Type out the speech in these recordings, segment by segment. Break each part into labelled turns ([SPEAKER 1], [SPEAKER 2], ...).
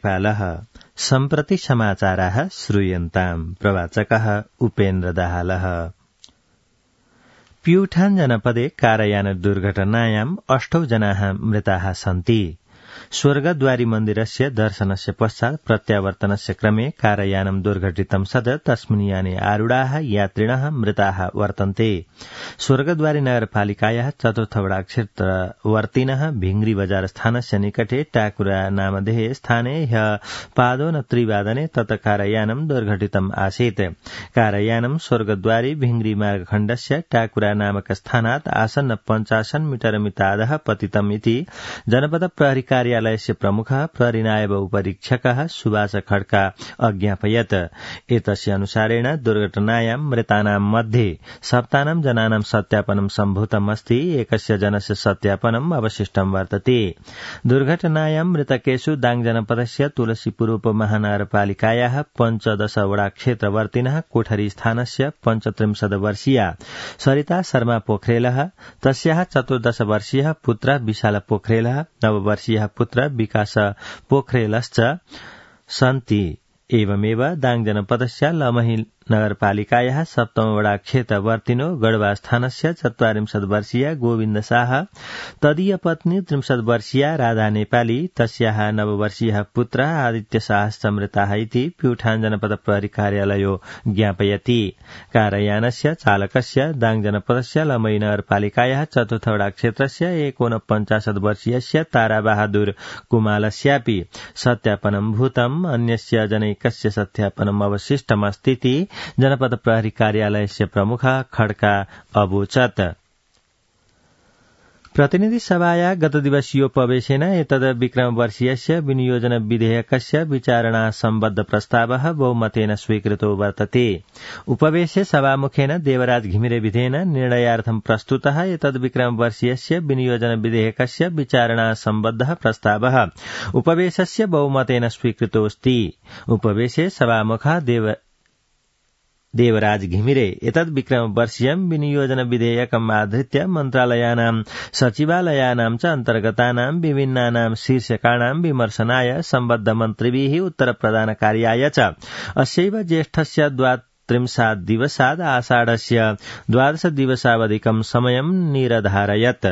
[SPEAKER 1] नेपालः सम्प्रति समाचाराः श्रूयन्ताम् प्रवाचकः उपेन्द्रदाहालः। प्यूठान जनपदे कारयान दुर्घटनायाम् 8 जनाः मृताः सन्ति। स्वर्गद्वारी मन्दिरस्य दर्शनस्य पश्चात् प्रत्यावर्तनस्य क्रमे कारयानं दुर्घटितं सद् तस्मिन् याने आरूढाः यात्रिणः मृताः वर्तन्ते। स्वर्गद्वारी नगरपालिकायाः चतुर्थवडा क्षेत्रवर्तिनः भिंगरी बजार स्थानस्य निकटे टाकुरा नामधेये स्थाने ह्यः पादोन 3 तत् कारयानं दुर्घटितम् आसीत्। कारयानं स्वर्गद्वारी भिंगरी मार्गखण्डस्य टाकुरा नामक स्थानात् आसन्न 50 मीटर मितादः पतितम् इति जनपद प्रहरी कार्यालयस्य प्रमुखः प्रहरीनायब उपरीक्षकः सुभाष खड्का अज्ञापयत्। एतस्य अनुसारेण दुर्घटनायां मृतानां मध्ये 7 जनानां सत्यापनं सम्भूतम् अस्ति। एकस्य जनस्य सत्यापनम् अवशिष्टं वर्तते। दुर्घटनायां मृतकेषु दाङ जनपदस्य तुलसीपुर उपमहानगरपालिकायाः 15 वडा क्षेत्रवर्तिनः कोठरी स्थानस्य 35 वर्षीया सरिता शर्मा पोखरेलः, तस्याः 14 वर्षीयः पुत्रः विशाल पोखरेलः, 9 वर्षीयः पुत्र विकास पोखरेलश्च सन्ति। एवमेव दाङ जनपदस्य लमही नगरपालिकायाः 7 वडा क्षेत्रवर्तिनो गढ़वा स्थानस्य 44 वर्षीया गोविन्द शाह, तदीय पत्नी 63 वर्षीया राधा नेपाली, तस्याः 9 वर्षीयः पुत्र आदित्य शाहश्च मृताः इति प्यूठान जनपद प्रहरी कार्यालयो ज्ञापयति। कारयानस्य चालकस्य दाङ जनपदस्य लमही नगरपालिकायाः 4 वडा क्षेत्रस्य 49 वर्षीयस्य ताराबहादुर कुमालस्यापि सत्यापनं भूतम्। अन्यस्य जनैकस्य सत्यापनम् अवशिष्टमस्तीति जनपद प्रहरी कार्यालयस्य प्रमुखः खड्का अवोचत्। प्रतिनिधि सभाया गतदिवसीयोपवेशेन एतद् विक्रमवर्षीयस्य विनियोजन विधेयकस्य विचारणा सम्बद्ध प्रस्तावः बहुमतेन स्वीकृतो वर्तते। उपवेशे सभामुखेन देवराज घिमिरे विधेयेन निर्णयार्थं प्रस्तुतः एतद् विक्रमवर्षीयस्य विनियोजन विधेयकस्य विचारणा सम्बद्धः प्रस्तावः उपवेशस्य बहुमतेन स्वीकृतोऽस्ति। उपवेशे सभामुखः देवराज घिमिरे एतद् विक्रमवर्षीयं विनियोजन विधेयकम् आधृत्य मन्त्रालयानां सचिवालयानां च अन्तर्गतानां विभिन्नानां शीर्षकाणां विमर्शनाय सम्बद्ध मन्त्रिभिः उत्तरप्रदानकार्याय च अस्यैव ज्येष्ठस्य 32 दिवसाद् आषाढस्य 12 दिवसावधिकं समयं निरधारयत्।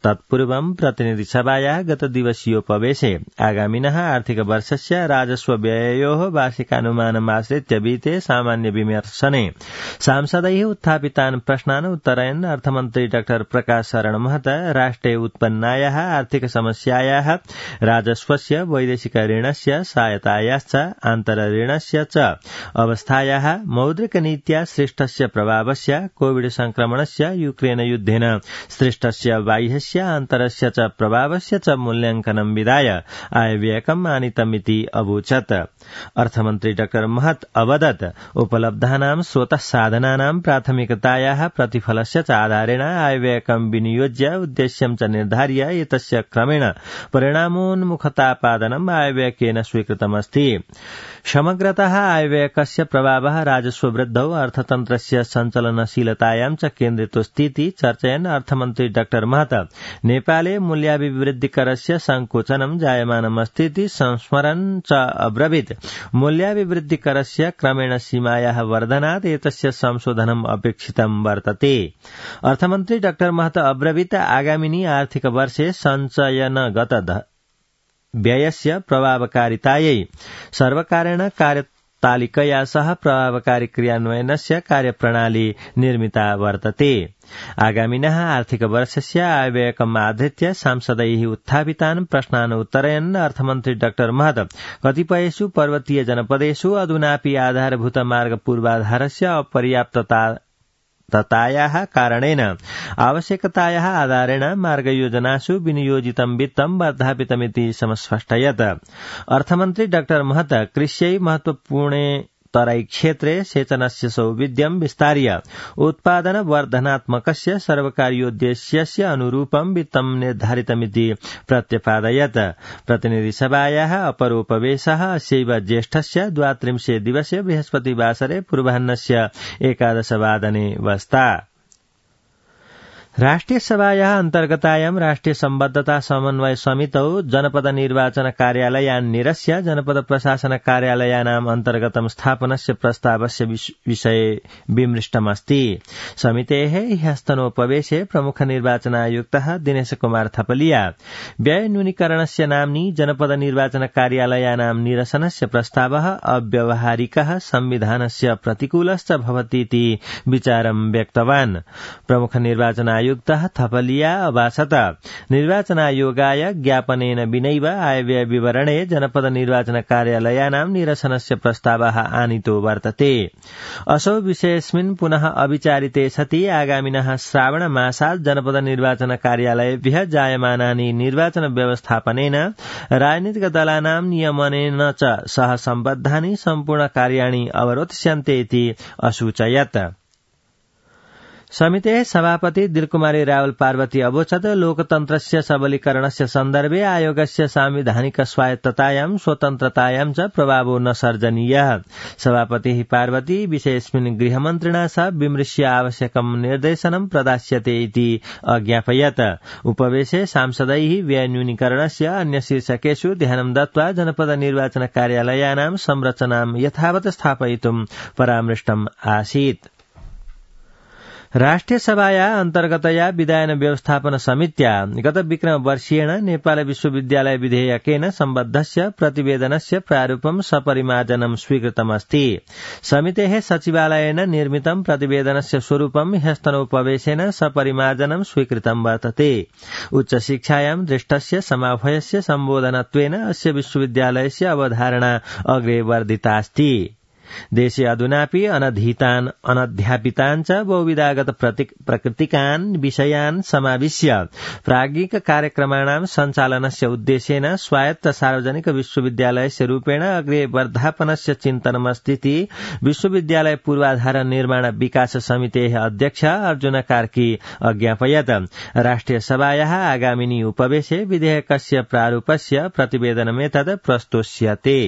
[SPEAKER 1] तत्पूर्वं प्रतिनिधिसभायाः गतदिवसीयोपवेशे आगामिनः आर्थिकवर्षस्य राजस्व व्यययोः वार्षिकानुमानमाश्रित्य विहिते सामान्य विमर्शने सांसदैः उत्थापितान् प्रश्नान् उत्तरयन् अर्थमन्त्री डॉ प्रकाश शरण महत राष्ट्रे उत्पन्नायाः आर्थिक समस्यायाः राजस्वस्य वैदेशिक ऋणस्य सहायतायाश्च आन्तरऋणस्य च अवस्थायाः मौद्रिकनीत्या सृष्टस्य प्रभावस्य कोविड संक्रमणस्य यूक्रेन युद्धेन सृष्टस्य बाह्यस्य आन्तरस्य च प्रभावस्य च मूल्यांकनं विधाय आयव्ययकम् आनीतमिति अवोचत्। अर्थमन्त्री डॉ महत अवदत् उपलब्धानां स्रोतः साधनानां प्राथमिकतायाः प्रतिफलस्य च आधारेण आयव्ययकं विनियोज्य उद्देश्यं च निर्धार्य एतस्य क्रमेण परिणामोन्मुखतापादनम् आयव्ययकेन स्वीकृतमस्ति। समग्रतः आयव्ययकस्य प्रभावः राजस्ववृद्धौ अर्थतन्त्रस्य सञ्चलनशीलतायां च केन्द्रितोऽस्तीति चर्चयन् अर्थमन्त्री डॉ महत नेपाले मूल्याभिवृद्धिकरस्य संकोचनं जायमानमस्तीति संस्मरन् च अब्रवीत् मूल्याभिवृद्धिकरस्य क्रमेण सीमायाः वर्धनात् एतस्य संशोधनम् अपेक्षितं वर्तते। अर्थमन्त्री डॉ महत अब्रवीत् आगामिनि आर्थिक वर्षे सञ्चयनगत व्ययस्य प्रभावकारितायै सर्वकारेण कार्यतालिकया सह प्रभावकारी क्रियान्वयनस्य कार्यप्रणाली निर्मिता वर्तते। आगामिनः आर्थिक वर्षस्य आयव्ययकम् आधृत्य सांसदैः उत्थापितान् प्रश्नान् उत्तरयन् अर्थमन्त्री डॉ महत कतिपयेषु पर्वतीय जनपदेषु अधुनापि आधारभूत मार्ग पूर्वाधारस्य अपर्याप्ततायाः कारणेन आवश्यकतायाः आधारेण मार्गयोजनासु विनियोजितं वित्तं वर्धापितमिति समस्पष्टयत्। अर्थमन्त्री डॉ महत कृष्यै महत्वपूर्णे तराई क्षेत्रे सेचनस्य सौविध्यं विस्तार्य उत्पादन वर्धनात्मकस्य सर्वकारीयोद्देश्यस्य अनुरूपं वित्तं निर्धारितमिति प्रत्यपादयत्। प्रतिनिधिसभायाः अपरोपवेशः अस्यैव ज्येष्ठस्य 32 दिवसे बृहस्पतिवासरे पूर्वाह्नस्य 11 वादने वस्ता। राष्ट्रिय सभायाः अन्तर्गतायां राष्ट्रिय सम्बद्धता समन्वय समितौ जनपद निर्वाचन कार्यालयान् निरस्य जनपद प्रशासन कार्यालयानाम् अन्तर्गतं स्थापनस्य प्रस्तावस्य विषये विमृष्टमस्ति। समितेः ह्यस्तनोपवेशे प्रमुख निर्वाचनायुक्तः दिनेश कुमार थपलिया व्यय न्यूनीकरणस्य नाम्नि जनपद निर्वाचन कार्यालयानां निरसनस्य प्रस्तावः अव्यावहारिकः संविधानस्य प्रतिकूलश्च भवतीति विचारं व्यक्तवान्। प्रमुख निर्वाचन आयुक्तः थपलिया अभाषत निर्वाचनायोगाय ज्ञापनेन विनैव आयव्यय विवरणे जनपद निर्वाचन कार्यालयानां निरसनस्य प्रस्तावः आनीतो वर्तते। असौ विषयेऽस्मिन् पुनः अविचारिते सति आगामिनः श्रावणमासात् जनपद निर्वाचन कार्यालयेभ्यः जायमानानि निर्वाचन व्यवस्थापनेन राजनीतिकदलानां नियमनेन च सह सम्बद्धानि सम्पूर्ण कार्याणि अवरोध्स्यन्ते इति असूचयत्। समितेः सभापति दिलकुमारी रावल पार्वती अवोचत् लोकतन्त्रस्य सबलीकरणस्य सन्दर्भे आयोगस्य सांविधानिक स्वायत्ततायां स्वतन्त्रतायां च प्रभावो न सर्जनीयः। सभापतिः पार्वती विषयेऽस्मिन् गृहमन्त्रिणा सह विमृश्य आवश्यकं निर्देशनं प्रदास्यते इति अज्ञापयत्। उपवेशे सांसदैः व्यय न्यूनीकरणस्य अन्य शीर्षकेषु ध्यानं दत्त्वा जनपद निर्वाचन कार्यालयानां संरचनां यथावत् स्थापयितुं परामृष्टम् आसीत्। राष्ट्रिय सभाया अन्तर्गतया विधायन व्यवस्थापन समित्या गत विक्रम वर्षीयेण नेपाल विश्वविद्यालय विधेयकेन सम्बद्धस्य प्रतिवेदनस्य प्रारूपं सपरिमार्जनं स्वीकृतमस्ति। समितेः सचिवालयेन निर्मितं प्रतिवेदनस्य स्वरूपं ह्यस्तनोपवेशेन सपरिमार्जनं स्वीकृतं वर्तते। उच्च शिक्षायां दृष्टस्य समाभयस्य सम्बोधनत्वेन अस्य विश्वविद्यालयस्य अवधारणा अग्रे वर्धितास्ति। देशे अधुनापि अनधीतान् अनध्यापितान् च बहुविधागत प्रकृतिकान् विषयान् समाविश्य प्राज्ञिक कार्यक्रमाणां सञ्चालनस्य उद्देश्येन स्वायत्त सार्वजनिक विश्वविद्यालयस्य रूपेण अग्रे वर्धापनस्य चिन्तनमस्तीति विश्वविद्यालय पूर्वाधार निर्माण विकास समितेः अध्यक्ष अर्जुन कार्की अज्ञापयत्। राष्ट्रिय सभायाः आगामिनि उपवेशे विधेयकस्य प्रारूपस्य प्रतिवेदनमेतत् प्रस्तोष्यते।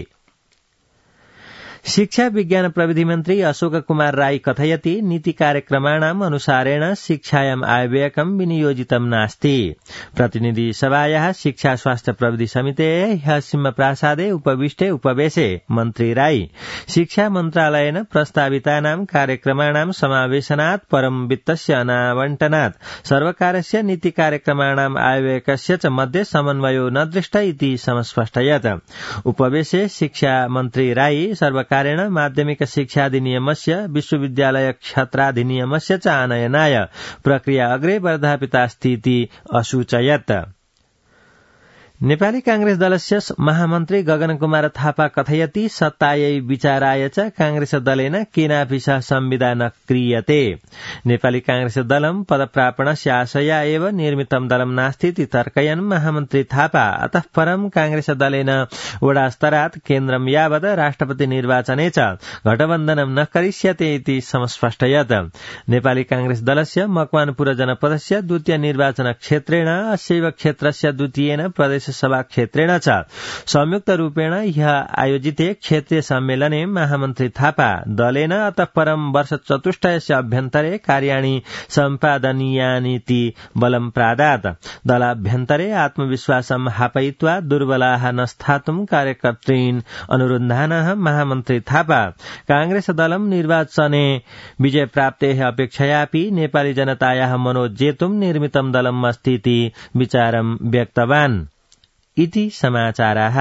[SPEAKER 1] शिक्षा विज्ञान प्रविधि मन्त्री अशोक कुमार राई कथयति नीति कार्यक्रमाणाम् अनुसारेण शिक्षायाम् आयव्ययकं विनियोजितं नास्ति। प्रतिनिधि सभायाः शिक्षा स्वास्थ्य प्रविधि समितेः ह्यः सिंहप्रासादे उपविष्टे उपवेशे मन्त्री राई शिक्षा मन्त्रालयेन प्रस्तावितानां कार्यक्रमाणां समावेशनात् परं वित्तस्य अनावण्टनात् सर्वकारस्य नीति कार्यक्रमाणाम् आयव्ययकस्य च मध्ये समन्वयो न दृष्ट इति समस्पष्टयत्। उपवेशे शिक्षा मन्त्री राई कारेण माध्यमिक शिक्षाधिनियमस्य विश्वविद्यालय क्षत्राधिनियमस्य च आनयनाय प्रक्रिया अग्रे वर्धापितास्ति इति असूचयत्। नेपाली कांग्रेस दलस्य महामन्त्री गगन कुमार थापा कथयति सत्तायै विचाराय च कांग्रेस दलेन केनापि सह संविदा न क्रियते। नेपाली कांग्रेस दलं पदप्रापणस्य आशया एव निर्मितं दलं नास्तीति तर्कयन् महामन्त्री थापा अतः परं कांग्रेस दलेन वडास्तरात् केन्द्रं यावत् राष्ट्रपति निर्वाचने च गठबन्धनं न करिष्यते इति समस्पष्टयत्। नेपाली कांग्रेस दलस्य मकवानपुर जनपदस्य द्वितीय निर्वाचन क्षेत्रेण अस्यैव क्षेत्रस्य द्वितीयेन प्रदेश सभा क्षेत्रेण च संयुक्त रूपेण ह्यः आयोजिते क्षेत्रीय सम्मेलने महामन्त्री थापा दलेन अतः परं वर्ष चतुष्टयस्य अभ्यन्तरे कार्याणि सम्पादनीयानीति बलं प्रादात्। दलाभ्यन्तरे आत्मविश्वासं हापयित्वा दुर्बलाः न स्थातुं कार्यकर्तॄन् अनुरुन्धानः महामन्त्री थापा कांग्रेस दलं निर्वाचने विजय प्राप्तेः अपेक्षयापि नेपाली जनतायाः मनोजेतुं निर्मितं दलम् अस्तीति विचारं व्यक्तवान् इति समाचाराः।